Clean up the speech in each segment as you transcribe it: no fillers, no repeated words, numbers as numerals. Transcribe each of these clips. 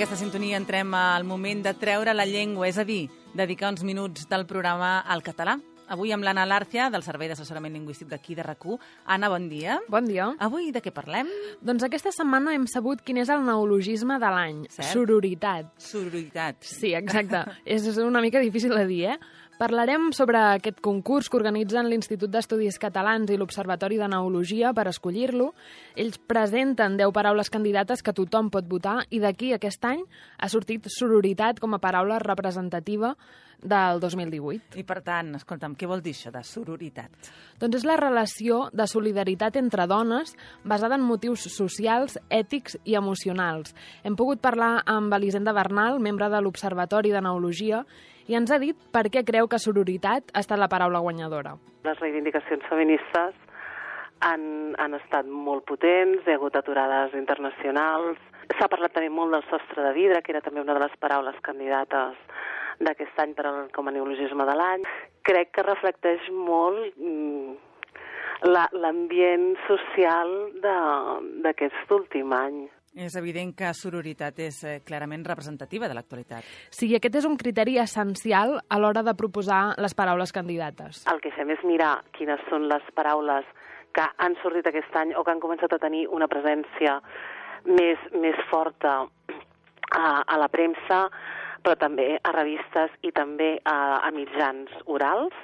aquesta sintonia entrem al moment de treure la llengua, és a dir, dedicar uns minuts del programa al català. Avui amb l'Anna Lárcia, del Servei d'Assessorament Lingüístic d'aquí de RAC1. Anna, bon dia. Bon dia. Avui de què parlem? Doncs aquesta setmana hem sabut quin és el neologisme de l'any. Sororitat. Sororitat. Sí, exacte. És una mica difícil de dir, Parlarem sobre aquest concurs que organitzen l'Institut d'Estudis Catalans i l'Observatori de Neologia per escollir-lo. Ells presenten 10 paraules candidates que tothom pot votar i d'aquí aquest any ha sortit sororitat com a paraula representativa del 2018. I per tant, escolta'm, què vol dir això de sororitat? Doncs és la relació de solidaritat entre dones basada en motius socials, ètics i emocionals. Hem pogut parlar amb Elisenda Bernal, membre de l'Observatori de Neologia, i ens ha dit per què creu que sororitat ha estat la paraula guanyadora. Les reivindicacions feministes han estat molt potents, hi ha hagut aturades internacionals. S'ha parlat també molt del sostre de vidre, que era també una de les paraules candidates d'aquest any com a neologisme de l'any. Crec que reflecteix molt l'ambient social d'aquest últim any. És evident que sororitat és clarament representativa de l'actualitat. Sí, aquest és un criteri essencial a l'hora de proposar les paraules candidates. El que fem és mirar quines són les paraules que han sortit aquest any o que han començat a tenir una presència més forta a la premsa, però també a revistes i també a mitjans orals.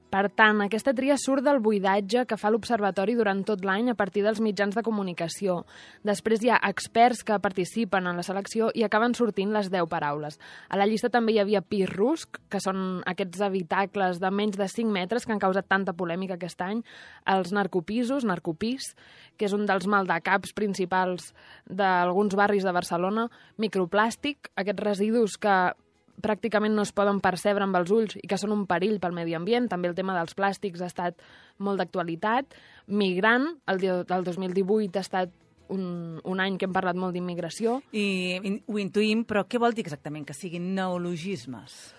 Per tant, aquesta tria surt del buidatge que fa l'Observatori durant tot l'any a partir dels mitjans de comunicació. Després hi ha experts que participen en la selecció i acaben sortint les 10 paraules. A la llista també hi havia PIRRUSC, que són aquests habitacles de menys de 5 metres que han causat tanta polèmica aquest any, els narcopisos, narcopís, que és un dels maldecaps principals d'alguns barris de Barcelona, microplàstic, aquests residus que pràcticament no es poden percebre amb els ulls i que són un perill pel medi ambient. També el tema dels plàstics ha estat molt d'actualitat. Migrant, el 2018 ha estat un any que hem parlat molt d'immigració. I ho intuïm, però què vol dir exactament que siguin neologismes?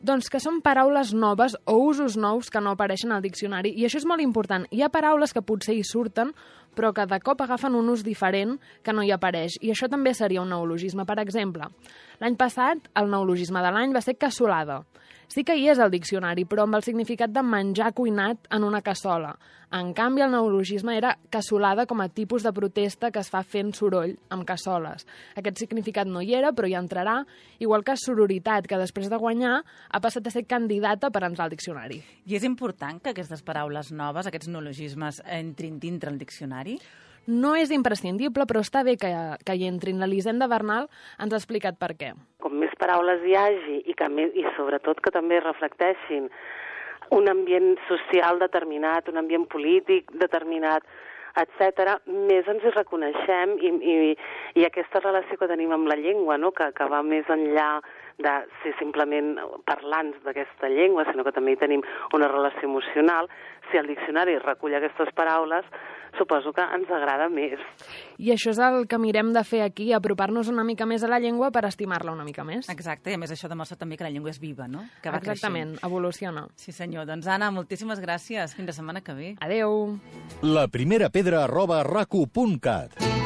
Doncs que són paraules noves o usos nous que no apareixen al diccionari, i això és molt important. Hi ha paraules que potser hi surten, però que de cop agafen un ús diferent que no hi apareix, i això també seria un neologisme. Per exemple, l'any passat el neologisme de l'any va ser cassolada. Sí que hi és al diccionari, però amb el significat de menjar cuinat en una cassola. En canvi, el neologisme era cassolada com a tipus de protesta que es fa fent soroll amb cassoles. Aquest significat no hi era, però hi entrarà, igual que sororitat, que després de guanyar ha passat a ser candidata per entrar al diccionari. I és important que aquestes paraules noves, aquests neologismes, entrin dintre el diccionari? No és imprescindible, però està bé que hi entrin. L'Elisenda Bernal ens ha explicat per què. Com més paraules hi hagi i sobretot que també reflecteixin un ambient social determinat, un ambient polític determinat, etc., més ens hi reconeixem i aquesta relació que tenim amb la llengua, no? que va més enllà de ser simplement parlants d'aquesta llengua, sinó que també hi tenim una relació emocional. Si el diccionari recull aquestes paraules, suposo que ens agrada més. I això és el que mirem de fer aquí, apropar-nos una mica més a la llengua per estimar-la una mica més. Exacte, i a més això demostra també que la llengua és viva, no? Que va Exactament, creixent. evoluciona. Sí senyor, doncs Anna, moltíssimes gràcies. Fins la setmana que ve. Adeu. La primera pedra @racu.cat